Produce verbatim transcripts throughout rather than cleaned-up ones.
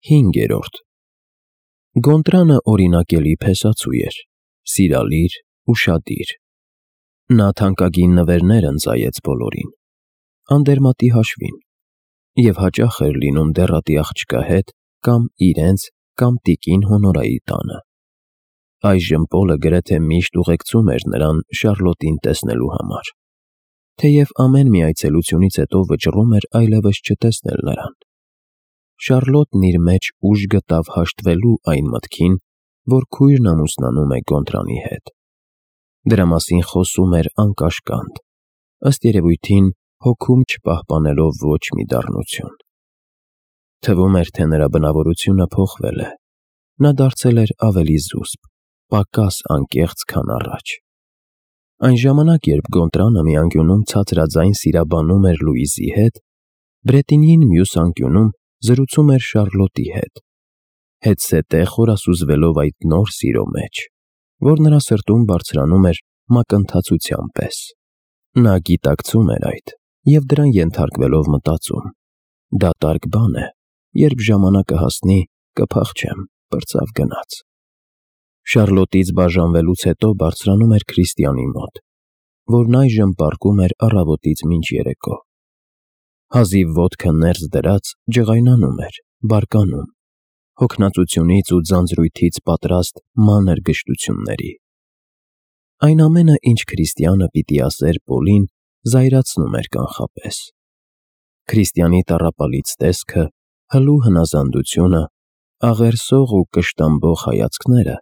Հինգերորդ Գոնտրանը օրինակելի փեսացու էր, սիրալիր, ուշադիր։ Նա թանկագին նվերներ ընծայեց բոլորին, անդերմատի հաշվին, և հաճախ էր լինում դեռատի աղջկա հետ կամ իրենց կամ տիկին Հոնորայի տանը։ Այժմ Պոլը գրեթե միշտ ուղեկցում էր նրան Շառլոտին տեսնելու համար, թեև ամեն մի այցելությունից հետո վճռում էր այլևս չտեսնել նրան։ Շառլոտն իր մեջ ուժ գտավ հաշտվելու այն մտքին, որ քույրն ամուսնանում է Գոնտրանի հետ։ Դրա մասին խոսում էր անկաշկանդ, ըստ երևույթին հոգում չպահպանելով ոչ մի դառնություն։ Թվում էր, թե նրա բնավորությունը փոխվել է, նա դարձել էր ավելի զուսպ, պակաս անկեղծ, քան առաջ։ Այն ժամանակ, երբ Գոնտրանը մի անկյունում ցածրաձայն սիրաբանում էր Լուիզի հետ, Բրետինին մյուս անկյունում զրուցում էր Շառլոտի հետ, հետզհետե խորասուզվելով այդ նոր սիրո մեջ, որ նրա սրտում բարձրանում էր մակընթացության պես։ Նա գիտակցում էր այդ և դրան ենթարկվելով մտածում. դատարկ բան է, երբ ժամանակը հասնի, կփախչեմ, պրծավ գնաց։ Շառլոտից բաժանվելուց հետո բարձրանում էր Քրիստիանի մոտ, որն այժմ պառկում էր առավոտից մինչ երեկո։ Հազիվ ոտքը ներս դրած ջղայնանում էր, բարկանում, հոգնածությունից ու ձանձրույթից պատրաստ մանր գժտությունների։ Այն ամենը, ինչ Քրիստիանը պիտի ասեր Պոլին, զայրացնում էր կանխապես։ Քրիստիանի տառապալից տեսքը, հլու հնազանդությունը, աղերսող ու կշտամբող հայացքները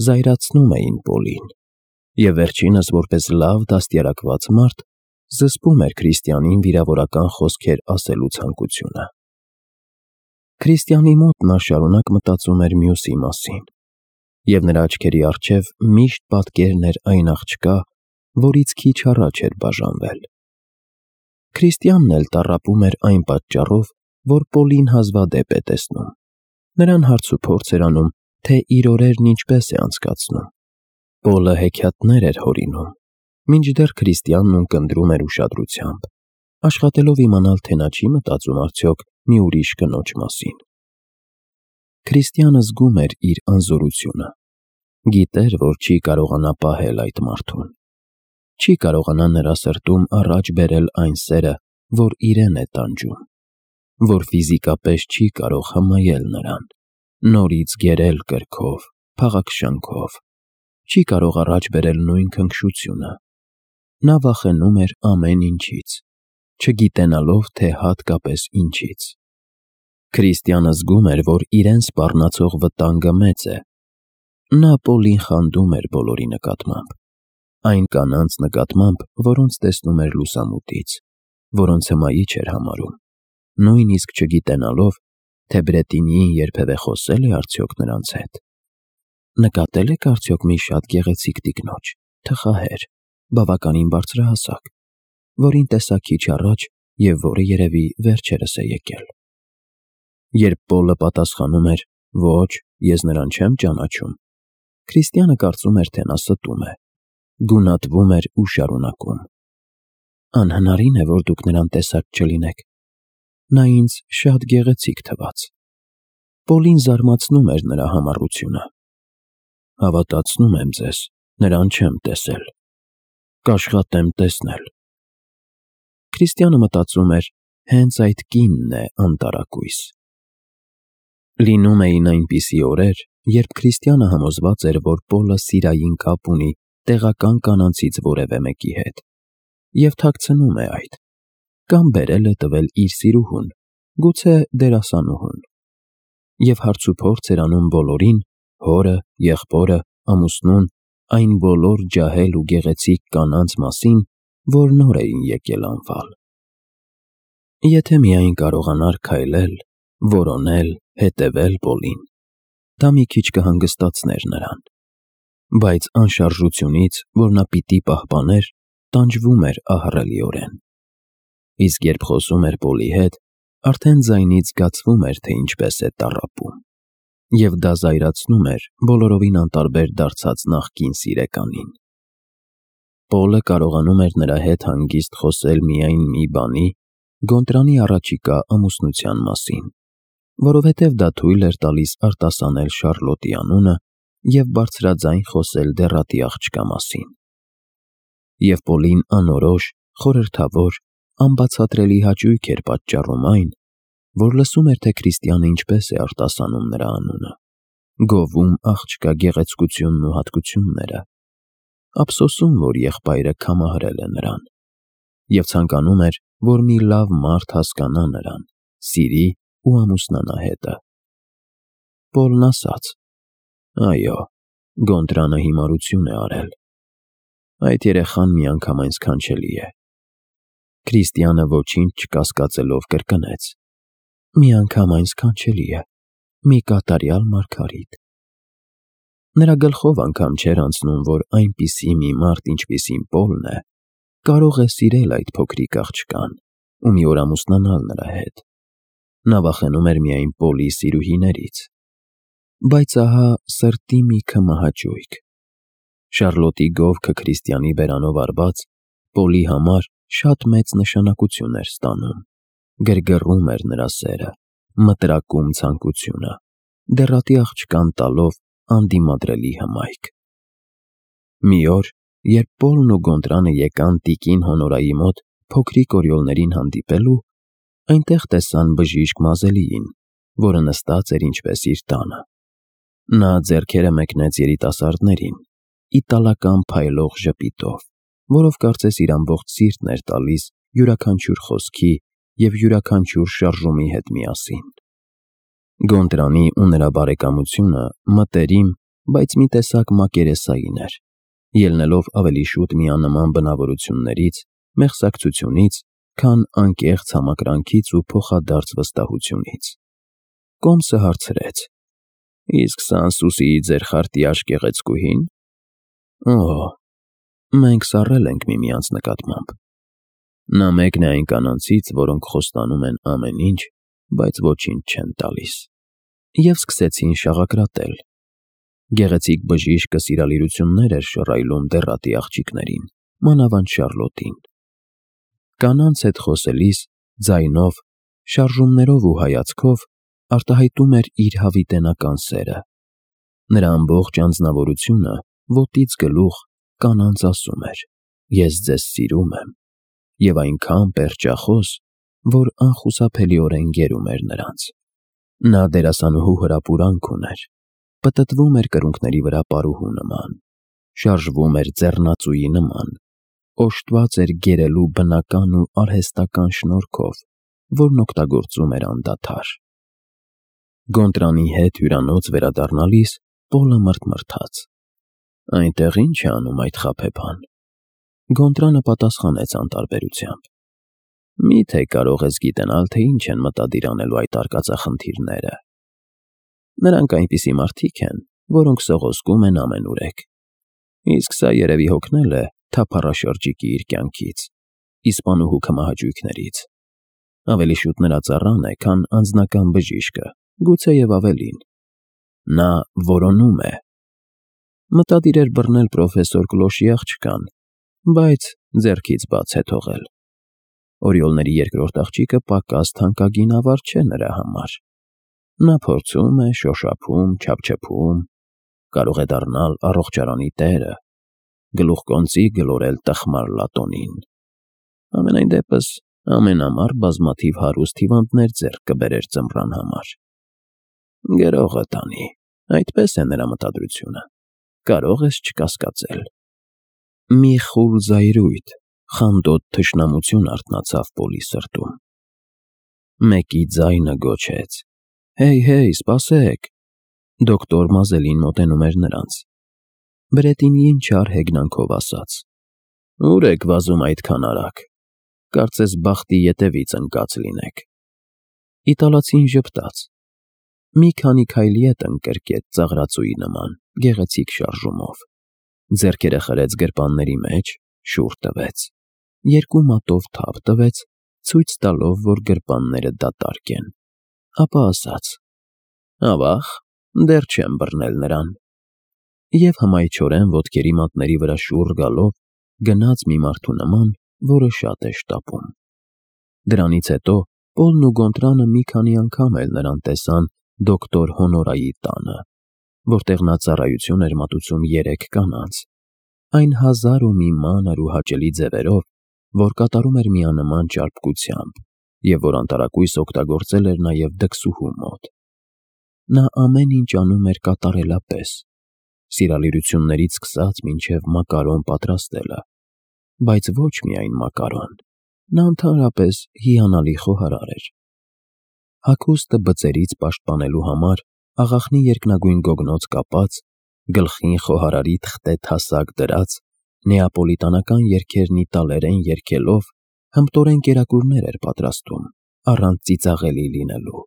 զայրացնում էին Պոլին, և վերջինս, որպես լավ դաստիարակված մարդ, զսպում էր Քրիստիանին վիրավորական խոսքեր ասելու ցանկությունը։ Քրիստիանի մոտ նա շարունակ մտածում էր մյուսի մասին, և նրա աչքերի առջև միշտ պատկերն էր այն աղջկա, որից քիչ առաջ էր բաժանվել։ Քրիստիանն էլ տառապում էր այն պատճառով, որ Պոլին հազվադեպ է տեսնում, նրան հարցուփորձ էր անում, թե իր օրերն ինչպես է անցկացնում։ Պոլը հեքիաթներ էր հորինում, մինչդեռ Քրիստիանն ունկնդրում էր ուշադրությամբ, աշխատելով իմանալ, թե նա չի մտածում արդյոք մի ուրիշ կնոջ մասին։ Քրիստիանը զգում էր իր անզորությունը, գիտեր, որ չի կարողանա պահել այդ մարդուն, չի կարողանա նրա սրտում առաջ բերել այն սերը, որ իրեն է տանջում, որ ֆիզիկապես չի կարող հմայել նրան, նորից գերել կրքով, փաղաքշանքով, չի կարող առաջ բերել նույն քնքշությունը։ Նա վախենում էր ամեն ինչից, չգիտենալով, թե հատկապես ինչից։ Քրիստիանը զգում էր, որ իրեն սպառնացող վտանգը մեծ է։ Նա Պոլին խանդում էր բոլորի նկատմամբ, այն կանանց նկատմամբ, որոնց տեսնում էր լուսամուտից, որոնց հմայիչ էր համարում, նույնիսկ չգիտենալով, թե Բրետինիին երբևէ խոսել է արդյոք նրանց հետ։ Նկատել եք արդյոք մի շատ գեղեցիկ տիկնոջ, թխահեր, բավականին բարձրահասակ, որին տեսա քիչ առաջ և որը երևի վերջերս է եկել։ Երբ Պոլը պատասխանում էր. «Ոչ, ես նրան չեմ ճանաչում», Քրիստիանը կարծում էր, թե նա ստում է, գունատվում էր ու շարունակում. «Անհնարին է, որ դուք նրան տեսակ չլինեք, նա ինձ շատ գեղեցիկ թվաց»։ Պոլին զարմացնում էր նրա համառությունը։ «Հավատացնում եմ ձեզ, նրան չեմ տեսել, կաշխատեմ տեսնել»։ Քրիստիանը մտածում էր. հենց այդ կինն է անտարակույս։ Լինում էին այնպիսի օրեր, երբ Քրիստիանը համոզված էր, որ Պոլը սիրային կապ ունի տեղական կանանցից որևէ մեկի հետ, և թաքցնում է այդ, կամ բերել է տվել իր սիրուհուն, գուցե դերասանուհուն, և հարցուփորձ էր անում բոլորին, հորը, եղբորը, ամուսնուն, այն բոլոր ջահել ու գեղեցիկ կանանց մասին, որ նոր էին եկել անվալ։ Եթե միայն կարողանար քայլել, որոնել, հետևել Պոլին, դա մի քիչ կհանգստացներ նրան, բայց անշարժությունից, որ նա պիտի պահպաներ, տանջվում էր ահռելիորեն։ Իսկ երբ խոսում էր Պոլի հետ, արդեն ձայնից զգացվում էր, թե ինչպես է տառապում, և դա զայրացնում էր բոլորովին անտարբեր դարձած նախկին սիրեկանին։ Պոլը կարողանում էր նրա հետ հանգիստ խոսել միայն մի բանի՝ Գոնտրանի առաջիկա ամուսնության մասին, որովհետև դա թույլ էր տալիս արտասանել Շառլոտի անունը և բարձրաձայն խոսել դեռատի աղջկա մասին։ Եվ Պոլին անորոշ, խորհրդավոր, անբացատրելի հաճույք էր պատճառում այն, որ լսում էր, թե Քրիստիանը ինչպես է արտասանում նրա անունը, գովում աղջկա գեղեցկությունն ու հատկությունները, ափսոսում, որ եղբայրը քամահրել է նրան, և ցանկանում էր, որ մի լավ մարդ հասկանա նրան, սիրի ու ամուսնանա հետը։ Պոլն ասաց. «Այո, Գոնտրանը հիմարություն է արել։ Այդ երեխան միանգամայն սքանչելի է»։ Քրիստիանը ոչինչ չկասկածելով կրկնեց. «Միանգամայն սքանչելի է, մի կատարյալ մարգարիտ»։ Նրա գլխով անգամ չէր անցնում, որ այնպիսի մի մարդ, ինչպիսին Պոլն է, կարող է սիրել այդ փոքրիկ աղջկան ու մի օր ամուսնանալ նրա հետ։ Նա վախենում էր միայն Պոլի սիրուհիներից։ Բայց ահա սրտի մի քմահաճույք։ Շառլոտի գովքը Քրիստիանի բերանով արված Պոլի համար շատ մեծ նշանակություն էր ստանում, գրգռում էր նրա սերը, մտրակում ցանկությունը, դեռատի աղջկան տալով անդիմադրելի հմայք։ Մի օր, երբ Պոլն ու Գոնտրանը եկան տիկին Հոնորայի մոտ փոքրիկ օրիոլներին հանդիպելու, այնտեղ տեսան բժիշկ Մազելիին, որը նստած էր ինչպես իր տանը։ Նա ձեռքերը մեկնեց երիտասարդներին, իտալական փայլող ժպիտով, որով կարծես իր ամբողջ սիրտն էր տալիս յուրաքանչյուր խոսքի և յուրաքանչյուր շարժումի հետ միասին։ Գոնտրանի ու նրա բարեկամությունը մտերիմ, բայց մի տեսակ մակերեսային էր, ելնելով ավելի շուտ միանման բնավորություններից, մեղսակցությունից, քան անկեղծ համակրանքից ու փոխադարձ վստահությունից։ Կոմսը հարցրեց. «Իսկ Սանսուսիի ձեր խարտյաշ գեղեցկուհի՞ն»։ «Օ, մենք սառել ենք միմյանց նկատմամբ։ Նա մեկն է այն կանանցից, որոնք խոստանում են ամեն ինչ, բայց ոչինչ չեն տալիս»։ Եվ սկսեցին շաղակրատել։ Գեղեցիկ բժիշկը սիրալիրություններ էր շռայլում դեռատի աղջիկներին, մանավանդ Շառլոտին։ Կանանց հետ խոսելիս, ձայնով, շարժումներով ու հայացքով արտահայտում էր իր հավիտենական սերը։ Նրա ամբողջ անձնավորությունը ոտից գլուխ կանանց ասում էր. «Ես ձեզ սիրում եմ», և այնքան պերճախոս, որ անխուսափելիորեն գերում էր նրանց։ Նա դերասանուհու հրապուրանք ուներ, պտտվում էր կրունկների վրա պարուհու նման, շարժվում էր ձեռնածուի նման, օժտված էր գերելու բնական ու արհեստական շնորհքով, որն օգտագործում էր անդադար։ Գոնտրանի հետ հյուրանոց վերադառնալիս Պոլը մռթմռթաց. «Այնտեղ ի՞նչ է անում այդ խաբեբան»։ Գոնտրանը պատասխանեց անտարբերությամբ. «Մի՞թե կարող ես գիտենալ, թե ինչ են մտադիր անելու այդ արկածախնդիրները։ Նրանք այնպիսի մարդիկ են, որոնք սողոսկում են ամենուրեք։ Իսկ սա երևի հոգնել է թափառաշրջիկի իր կյանքից, իսպանուհու քմահաճույքներից։ Ավելի շուտ նրա ծառան է, քան անձնական բժիշկը, գուցեև ավելին։ Նա որոնում է։ Մտադիր էր բռնել պրոֆեսոր Կլոշի աղջկան, բայց ձեռքից բաց է թողել։ Օրիոլների երկրորդ աղջիկը պակաս թանկագին ավար չէ նրա համար։ Նա փորձում է, շոշափում, չափչփում, կարող է դառնալ առողջարանի տերը, գլուխկոնծի գլորել տխմար լատոնին։ Համենայն դեպս, ամեն ամառ բազմաթիվ հարուստ հիվանդներ ձեռք կբերեր ձմռան համար։ Գրողը տանի, այդպես է նրա մտադրությունը, կարող ես չկասկածել։ Մի խուլ զայրույթ, խանդոտ թշնամություն արթնացավ Պոլի սրտում։ Մեկի ձայնը գոչեց. «Հեյ, հեյ, սպասեք»։ Դոկտոր Մազելին մոտենում էր նրանց։ Բրետինիին չար հեգնանքով ասաց. «Ո՞ւր եք վազում այդքան արագ, կարծես բախտի ետևից ընկած լինեք»։ Իտալացին ժպտաց։ Մի քանի քայլ ետ ընկրկեց ծաղրածուի նման, գեղեցիկ շարժումով։ Ձեռքերը խրեց գրպանների մեջ, շուռ տվեց։ Երկու մատով թափ տվեց, ցույց տալով, որ գրպանները դատարկ են։ Ապա ասաց. «Ավա՞ղ, դեռ չեմ բռնել նրան»։ Եվ հմայչորեն ոտքերի մատների վրա շուռ գալով գնաց մի մարդու նման, որը շատ է շտապում։ Դրանից հետո Պոլն ու Գոնտրանը մի քանի անգամ էլ նրան տեսան դոկտոր Հոնորայի տանը, որտեղ նա ծառայություն էր մատուցում երեք կանանց, այն հազար ու մի մանր ու հաճելի ձևերով, որ կատարում էր միանման ճարպկությամբ և որ անտարակույս օգտագործել էր նաև դքսուհու մոտ։ Նա ամեն ինչ անում էր կատարելապես, սիրալիրություններից սկսած մինչև մակարոն պատրաստելը, բայց ոչ միայն մակարոն, նա ընդհանրապես հիանալի խոհարար էր։ Հագուստը բծերից պաշտպանելու համար աղախնի երկնագույն գոգնոց կապած, գլխին խոհարարի թղթե թասակ դրած, նեապոլիտանական երգերն իտալերեն երգելով, հմտորեն կերակուրներ էր պատրաստում, առանց ծիծաղելի լինելու,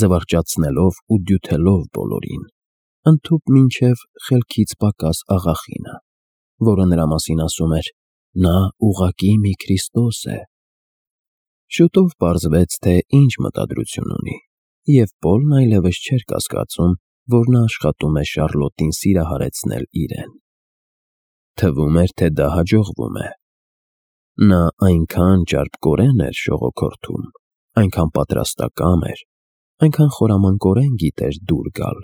զվարճացնելով ու դյութելով բոլորին, ընդհուպ մինչև խելքից պակաս աղախինը, որը նրա մասին ասում էր. «Նա ուղղակի մի Քրիստոս է»։ Շուտով պարզվեց, թե ինչ մտադրություն ունի, և Պոլն այլևս չէր կասկածում, որ նա աշխատում է Շառլոտին սիրահարեցնել իրեն։ Թվում էր, թե դա հաջողվում է։ Նա այնքան ճարպկորեն էր շողոքորթում, այնքան պատրաստակամ էր, այնքան խորամանկորեն գիտեր դուր գալ,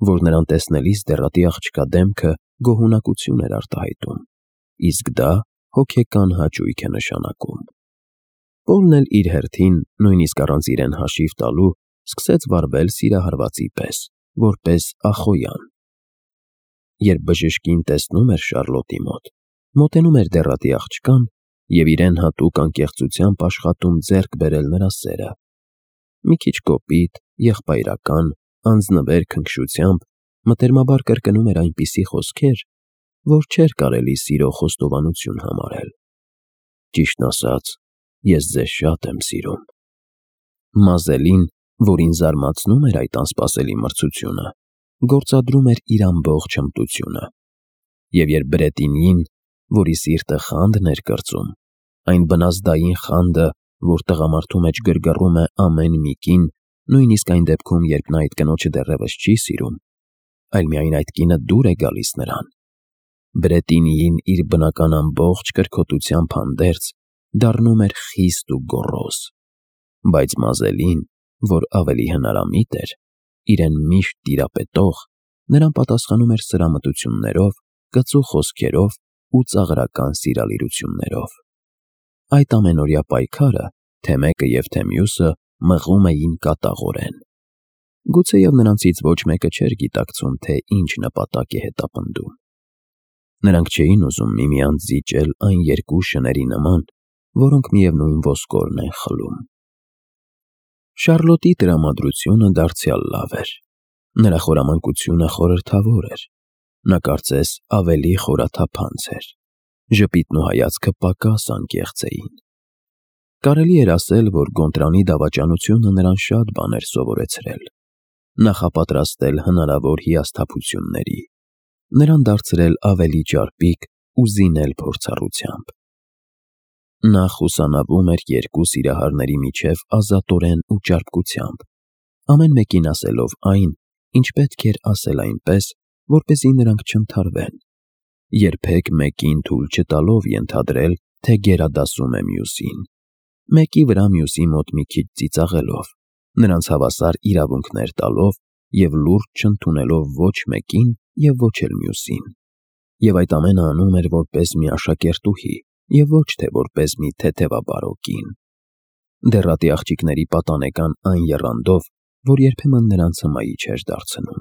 որ նրան տեսնելիս դեռատի աղջկա դեմքը գոհունակություն էր արտահայտում, իսկ դա հոգեկան հաճույք է նշանակում։ Պոլն էլ իր հերթին, նույնիսկ առանց իրեն հաշիվ տալու, սկսեց վարվել սիրահարվածի պես, որպես Ախոյան։ Երբ բժշկին տեսնում էր Շառլոտի մոտ, մոտենում էր դեռատի աղջկան և իրեն հատուկ անկեղծությամբ աշխատում ձեռք բերել նրա սերը։ Մի քիչ կոպիտ, եղբայրական, անձնվեր քնքշությամբ մտերմաբար կրկնում էր այնպիսի խոսքեր, որ չէր կարելի սիրո խոստովանություն համարել։ Ճիշտն ասած, ես ձեզ շատ եմ սիրում։ Մազելին, որին զարմացնում էր այդ անսպասելի մրցությունը, գործադրում էր իր ամբողջ հմտությունը, և երբ Բրետինին, որի սիրտը խանդն էր կրծում, այն բնազդային խանդը, որ տղամարդու մեջ գրգռում է ամեն մի կին, նույնիսկ այն դեպքում, երբ նա այդ կնոջը դեռևս չի սիրում, այլ միայն այդ կինը դուր է գալիս նրան, Բրետինիին իր բնական ամբողջ կրքոտությամբ հանդերձ դառնում էր խիստ ու գոռոզ, բայց Մազելին, որ ավելի հնարամիտ էր, իրեն միշտ տիրապետող, նրան պատասխանում էր սրամտություններով, կծու խոսքերով ու ծաղրական սիրալիրություններով։ Այդ ամենօրյա պայքարը, թե մեկը և թե մյուսը, մղում էին կատաղորեն։ Գուցեև նրանցից ոչ մեկը չէր գիտակցում, թե ինչ նպատակ է հետապնդում։ Նրանք չէին ուզում միմյանց զիջել այն երկու շների նման, որոնք միևնույն ոսկորն են խլում։ Շառլոտի տրամադրությունը դարձյալ լավ էր։ Նրա խորամանկությունը խորհրդավոր էր։ Նա կարծես ավելի խորաթափանց էր։ Ժպիտն ու հայացքը պակաս անկեղծ էին։ Կարելի էր ասել, որ Գոնտրանի դավաճանությունը նրան շատ բան էր սովորեցրել, նախապատրաստել հնարավոր հիասթափությունների, նրան դարձրել ավելի ճարպիկ ու զինել փորձառությամբ։ Նա խուսանավում էր երկու սիրահարների միջև ազատորեն ու ճարպկությամբ, ամեն մեկին ասելով այն, ինչ պետք էր ասել այնպես, որպեսզի նրանք չընդհարվեն, երբեք մեկին թույլ չտալով ենթադրել, թե գերադասում է մյուսին, մեկի վրա մյուսի մոտ մի քիչ ծիծաղելով, նրանց հավասար իրավունքներ տալով և լուրջ չընդունելով ոչ մեկին և ոչ էլ մյուսին, և այդ ամենը անում էր որպես մի աշակերտուհի և ոչ թե որպես մի թեթևաբարո կին, դեռատի աղջիկների պատանեկան այն եռանդով, որ երբեմն նրանց հմայի չէր դարձնում։